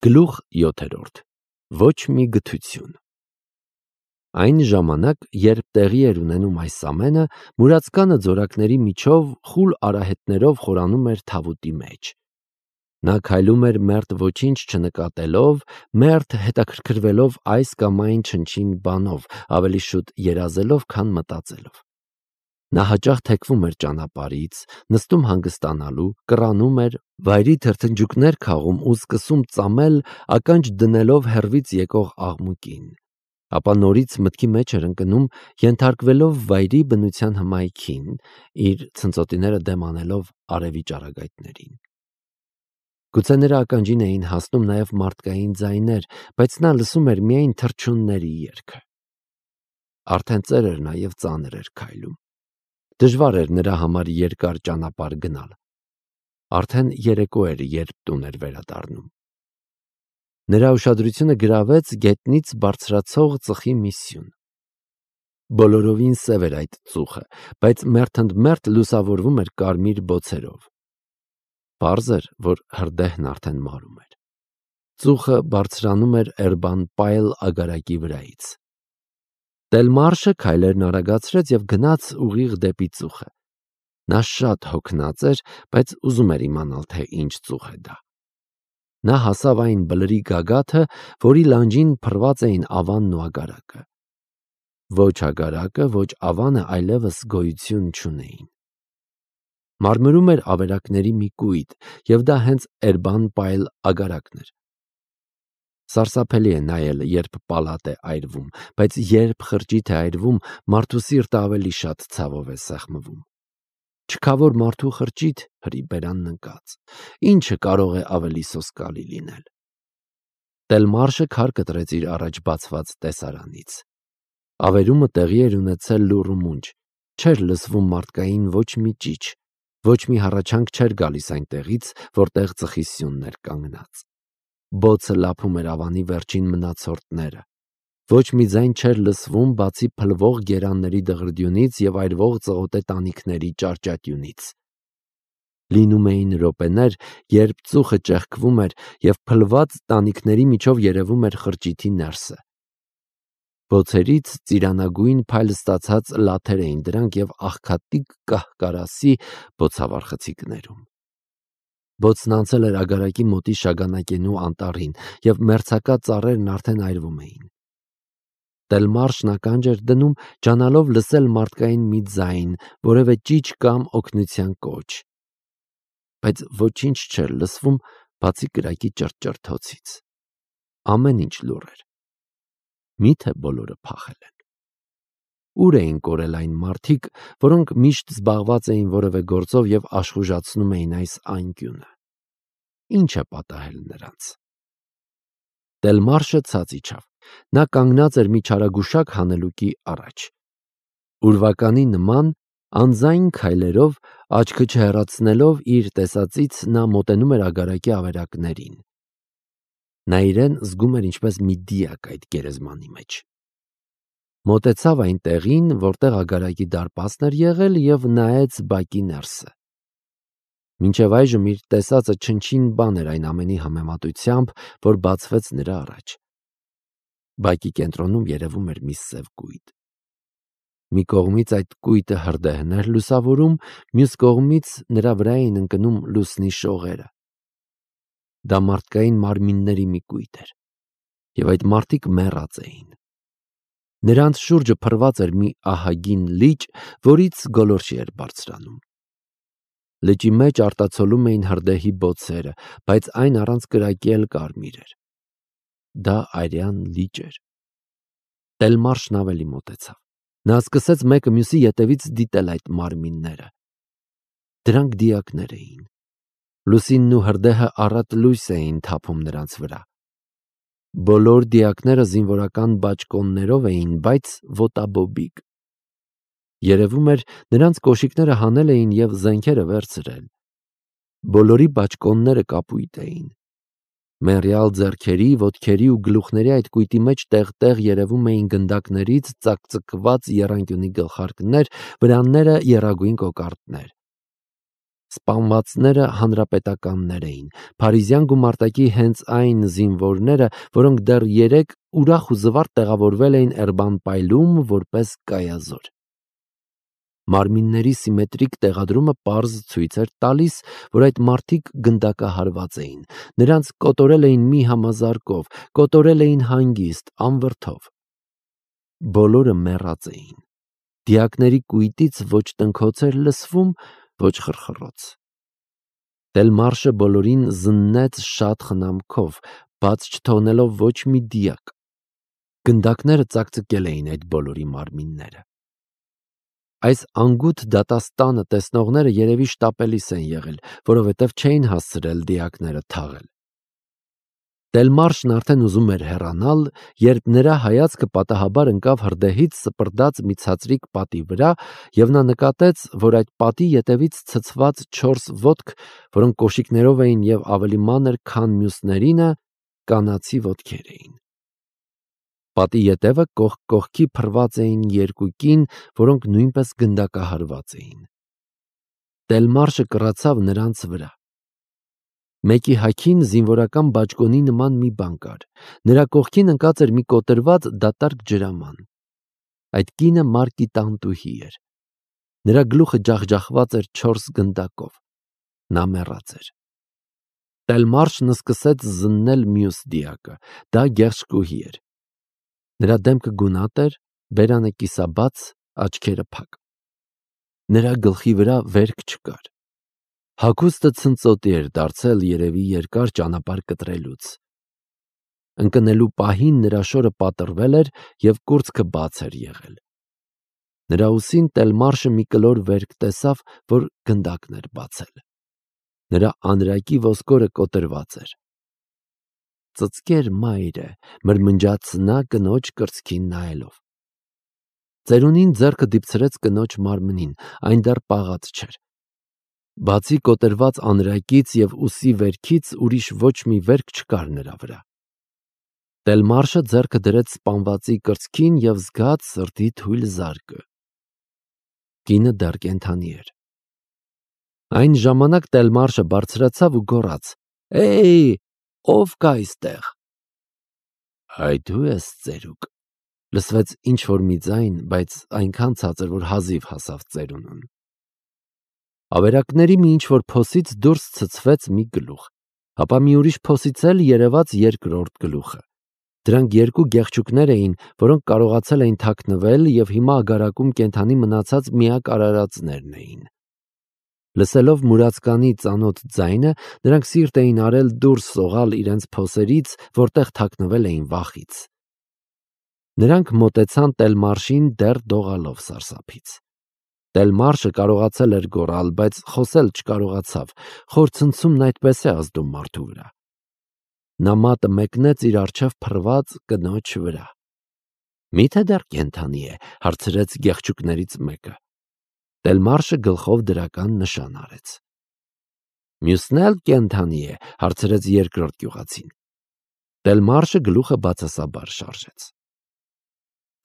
Գլուխ 7. Ոչ մի գթություն։ Այն ժամանակ, երբ տեղի էր ունենում այս ամենը, մուրացկանը ձորակների միջով խուլ արահետներով խորանում էր թավուտի մեջ։ Նա քայլում էր մերթ ոչինչ չնկատելով, մերթ հետաքրքրվելով այս կամ այն չնչին բանով, ավելի շուտ երազելով, քան մտածելով։ Նա հաճախ թեքվում էր ճանապարհից, նստում հանգստանալու, կռանում էր, վայրի թրթնջուկներ քաղում ու սկսում ծամել, ականջ դնելով հեռվից եկող աղմուկին, ապա նորից մտքի մեջ էր ընկնում, ենթարկվելով վայրի բնության հմայքին, իր ցնծոտիները դեմ անելով արևի ճառագայթներին։ Գուցե նրա ականջին էին հասնում նաև մարդկային ձայներ, բայց նա լսում էր միայն թռչունների երգը։ Արդեն ծեր էր նա և ծանր էր քայլում։ Դժվար էր նրա համար երկար ճանապարհ գնալ։ Արդեն երեկո էր, երբ տուն էր վերադառնում։ Նրա ուշադրությունը գրավեց գետնից բարձրացող ծխի մի սյուն։ Բոլորովին սև էր այդ ծուխը, բայց մերթընդմերթ լուսավորվում էր կարմիր բոցերով։ Պարզ էր, որ հրդեհն արդեն մարում էր։ Ծուխը բարձրանում էր Էրբան-Պայլ ագարակի վրայից։ Տելմարշը քայլերն արագացրեց և գնաց ուղիղ դեպի ծուխը։ Նա շատ հոգնած էր, բայց ուզում էր իմանալ, թե ինչ ծուխ է դա։ Նա հասավ այն բլրի գագաթը, որի լանջին փռված էին ավանն ու ագարակը։ Ոչ ագարակը, ոչ ավանը այլևս գոյություն չունեին։ Մարմրում էր ավերակների մի կույտ, և դա հենց Էրբան-Պայլ ագարակն էր։ Սարսափելի է նայել, երբ պալատ է այրվում, բայց երբ խրճիթ է այրվում, մարդու սիրտը ավելի շատ ցավով է սեղմվում։ Չքավոր մարդու խրճիթ, հրի բերանն ընկած, ինչը կարող է ավելի սոսկալի լինել։ Տելմարշը քար կտրեց իր առաջ բացված տեսարանից։ Ավերումը տեղի էր ունեցել լուռ ու մունջ, չէր լսվում մարդկային ոչ մի ճիչ, ոչ մի հառաչանք չէր գալիս այնտեղից, որտեղ ծխի սյունն էր կանգնած։ Բոցը լափում էր ավանի վերջին մնացորդները։ Ոչ մի ձայն չէր լսվում, բացի փլվող գերանների դղրդյունից և այրվող ծղոտե տանիքների ճարճատյունից։ Լինում էին րոպեներ, երբ ծուխը ճեղքվում էր և փլված տանիքների միջով երևում էր խրճիթի ներսը։ Բոցերից ծիրանագույն փայլ ստացած լաթեր էին դրանք և աղքատիկ կահ-կարասի բոցավառ խցիկներում։ Բոցն անցել էր ագարակի մոտի շագանակենու անտառին, և մերձակա ծառերն արդեն այրվում էին։ Տելմարշն ականջ էր դնում, ջանալով լսել մարդկային մի ձայն, որևէ ճիչ կամ օգնության կոչ։ Բայց ոչինչ չէր լսվում, բացի կրակի ճրճրթոցից։ Ամեն ինչ լուռ էր։ Մի՞թե բոլորը փախել են։ Ուր էին կորել այն մարդիկ, որոնք միշտ զբաղված էին որևէ գործով և աշխուժացնում էին այս անկյունը։ Ինչ է պատահել նրանց։ Տելմարշը ցած իջավ։ Նա կանգնած էր մի չարագուշակ հանելուկի առաջ։ Ուրվականի նման անձայն քայլերով, աչքը չհեռացնելով իր տեսածից, նա մոտենում էր ագարակի ավերակներին։ Նա իրեն զգում էր ինչպես մի դիակ այդ գերեզմանի մեջ։ Մոտեցավ այն տեղին, որտեղ ագարակի դարպասն էր եղել, և նայեց բակի ներսը։ Մինչև այժմ իր տեսածը չնչին բան էր այն ամենի համեմատությամբ, որ բացվեց նրա առաջ։ Բակի կենտրոնում երևում էր մի սև կույտ։ Մի կողմից այդ կույտը հրդեհն էր լուսավորում, մյուս կողմից նրա վրա էին ընկնում լուսնի շողերը։ Դա մարդկային մարմինների մի կույտ էր, և այդ մարդիկ մեռած էին։ Նրանց շուրջը փռված էր մի ահագին լիճ, որից գոլորշի էր բարձրանում։ Լճի մեջ արտացոլում էին հրդեհի բոցերը, բայց այն առանց կրակի էլ կարմիր էր։ Դա արյան լիճ էր։ Տելմարշն ավելի մոտեցավ։ Նա սկսեց մեկը մյուսի ետևից դիտել այդ մարմինները։ Դրանք դիակներ էին։ Լուսինն ու հրդեհը առատ լույս էին թափում նրանց վրա։ Բոլոր դիակները զինվորական բաճկոններով էին, բայց ոտաբոբիկ։ Երևում էր, նրանց կոշիկները հանել էին և զենքերը վերցրել։ Բոլորի բաճկոնները կապույտ էին։ Մեռյալ ձեռքերի, ոտքերի ու գլուխների այդ կույտի մեջ տեղ-տեղ երևում էին գնդակներից ծակծկված եռանկյունի գլխարկներ, վրանները եռագույն կոկորդներ։ Սպանվածները հանրապետականներ էին, Փարիզյան գումարտակի հենց այն զինվորները, որոնք դեռ 3 ուրախ ու զվարթ տեղավորվել էին Էրբան-Պայլում որպես կայազոր։ Մարմինների սիմետրիկ տեղադրումը պարզ ցույց էր տալիս, որ այդ մարդիկ գնդակահարված էին, նրանց կոտորել էին մի համազարկով, կոտորել էին հանգիստ, անվրդով։ Բոլորը մեռած էին։ Դիակների կույտից ոչ տնքոց էր լսվում, ոչ խրխռոց։ Դելմարշը բոլորին զննեց շատ խնամքով, բաց չթողնելով ոչ մի դիակ։ Գնդակները ծակծկել էին այդ բոլորի մարմինները։ Այս անգութ դատաստանը տեսնողները երևի շտապելիս են եղել, որովհետև չէին հասցրել դիակները թաղել։ Դելմարշն արդեն ուզում էր հեռանալ, երբ նրա հայացքը պատահաբար ընկավ հրդեհից սպրդած մի ցածրիկ պատի վրա, և նա նկատեց, որ այդ պատի ետևից ցցված 4 ոտք, որոնք կոշիկներով էին և ավելի մանր, քան մյուսներինը, կանացի ոտքեր էին։ Պատի ետևը կողք կողքի փռված էին 2 կին, որոնք նույնպես գնդակահարված էին։ Դելմարշը կռացավ նրանց վրա։ Մեկի հագին զինվորական բաճկոնի նման մի բան կար։ Նրա կողքին ընկած էր մի կոտրված դատարկ ջրաման։ Այդ կինը մարկիտանտուհի էր։ Նրա գլուխը ջախջախված էր 4 գնդակով։ Նա մեռած էր։ Դելմարշն սկսեց զննել մյուս դիակը։ Դա գեղշկուհի էր։ Նրա դեմքը գունատ էր, բերանը կիսաբաց, աչքերը փակ։ Նրա գլխի վրա վերք չկար։ Հագուստը ցնծոտի էր դարձել երևի երկար ճանապարհ կտրելուց։ Ընկնելու պահին նրա շորը պատռվել էր և կուրծքը բաց էր եղել։ Նրա ուսին Դելմարշը մի կլոր վերք տեսավ, որ գնդակն էր բացել։ Նրա անրակի ոսկորը կոտրված էր։ Ծծկեր մայրը, մրմնջաց նա կնոջ կրծքին նայելով։ Ծերունին ձեռքը դիպցրեց կնոջ մարմնին, այն դեռ պաղած չէր։ Բացի կոտրված անրակից և ուսի վերքից ուրիշ ոչ մի վերք չկար նրա վրա։ Դելմարշը ձեռքը դրեց սպանվածի կրծքին և զգաց սրտի թույլ զարկը։ Կինը դեռ կենդանի էր։ Այն ժամանակ Դելմարշը բարձրացավ ու գոռաց. «Էյ, ով կա այստեղ»։ «Այ դու ես ծերուկ», լսվեց ինչ-որ մի ձայն, բայց այնքան ցածր, որ հազիվ հասավ ծերունուն։ Ավերակների մի ինչ-որ փոսից դուրս ցցվեց մի գլուխ, ապա մի ուրիշ փոսից էլ երևաց երկրորդ գլուխը։ Դրանք 2 գեղչուկներ էին, որոնք կարողացել էին թաքնվել և հիմա ագարակում կենդանի մնացած միակ արարածներն էին։ Լսելով մուրացկանի ծանոթ ձայնը, նրանք սիրտ էին արել դուրս սողալ իրենց փոսերից, որտեղ թաքնվել էին վախից։ Նրանք մոտեցան Դելմարշին դեռ դողալով սարսափից։ Դելմարշը կարողացել էր գոռալ, բայց խոսել չկարողացավ, խոր ցնցումն այդպես է ազդում մարդու վրա։ Նա մատը մեկնեց իր առջև փռված կնոջ վրա։ «Մի՞թե դեռ կենդանի է», հարցրեց գեղչուկներից մեկը։ Դելմարշը գլխով դրական նշան արեց։ «Մյուսն էլ կենդանի է», հարցրեց երկրորդ գյուղացին։ Դելմարշը գլուխը բացասաբար շարժեց։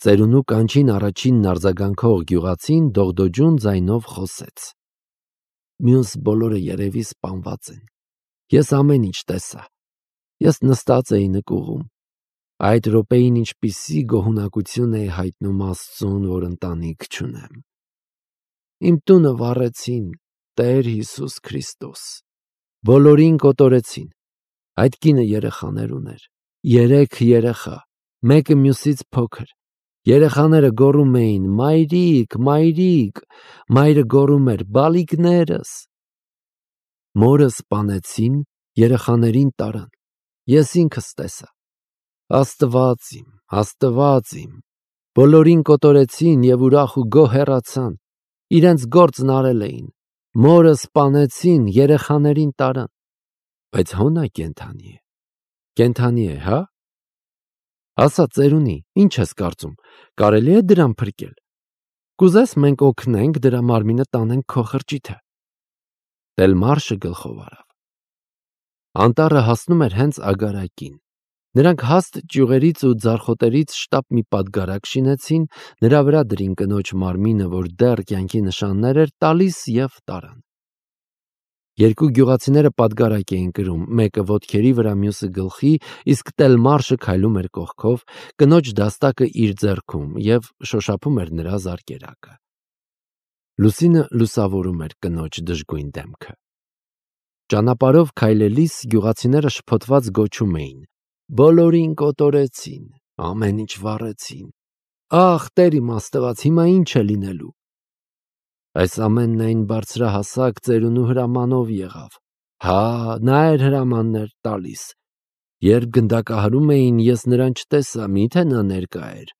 Ծերունու կանչին առաջինն արձագանքող գյուղացին դողդոջուն ձայնով խոսեց. «Մյուս բոլորը երևի սպանված են։ Ես ամեն ինչ տեսա։ Ես նստած էի նկուղում։ Այդ րոպեին ինչպիսի գոհունակություն էի հայտնում Աստծուն, որ ընտանիք չունեմ։ Իմ տունը վառեցին, Տեր Հիսուս Քրիստոս։ Բոլորին կոտորեցին։ Այդ կինը երեխաներ ուներ։ 3 երեխա, մեկը մյուսից փոքր։ Երեխաները գոռում էին. «Մայրիկ, մայրիկ», մայրը գոռում էր. «Բալիկներս»։ Մորը սպանեցին, երեխաներին տարան։ Ես ինքս տեսա։ Աստված իմ, Աստված իմ։ Բոլորին կոտորեցին և ուրախ ու գոհ հեռացան։ Իրենց գործն արել էին։ Մորը սպանեցին, երեխաներին տարան։ Բայց հո նա կենդանի է։ Կենդանի է, հա՞։ Ասա ծերունի, ինչ ես կարծում, կարելի է դրան փրկել։ Կուզես մենք օգնենք դրա մարմինը տանենք քո խրճիթը։ Դելմարշը գլխով արավ։ Անտառը հասնում էր հենց ագարակին։ Նրանք հաստ ճյուղերից ու ձարխոտերից շտապ մի պատգարակ շինեցին, նրա վրա դրին կնոջ մարմինը, որ դեռ կյանքի նշաններ էր տալիս, և տարան։ Երկու գյուղացիները պատգարակ էին կրում, մեկը ոտքերի վրա, մյուսը գլխի, իսկ Տելմարշը քայլում էր կողքով, կնոջ դաստակը իր ձեռքում և շոշափում էր նրա զարկերակը։ Լուսինը լուսավորում էր կնոջ դժգույն դեմքը։ Ճանապարհով քայլելիս գյուղացիները շփոթված գոչում էին. «Բոլորին կոտորեցին, ամեն ինչ վառեցին։ Ախ, Տեր իմ Աստված, հիմա ինչ է լինելու»։ Այս ամենն այն բարձրահասակ ծերունու հրամանով եղավ։ Հա, նա էր հրամաններ տալիս։ Երբ գնդակահարում էին, ես նրան չտեսա, միթե նա ներկա էր։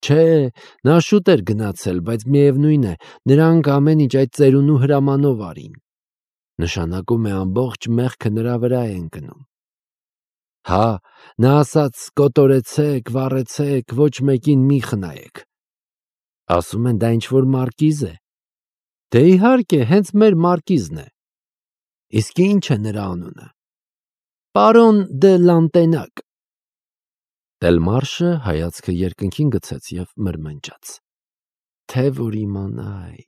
Չէ, նա շուտ էր գնացել, բայց միևնույն է, նրանք ամեն ինչ այդ ծերունու հրամանով արին։ Նշանակում է ամբողջ մեղքը նրա վրա է ընկնում։ Հա, նա ասաց. «Կոտորեցեք, վառեցեք, ոչ մեկին մի խնայեք»։ Ասում են դա ինչ-որ մարկիզ է։ Դե իհարկե, հենց մեր մարկիզն է։ Իսկ ի՞նչ է նրա անունը։ Պարոն դե Լանտենակ։ Տելմարշը հայացքը երկնքին գցեց և մրմնջաց. Թե որ իմանայի։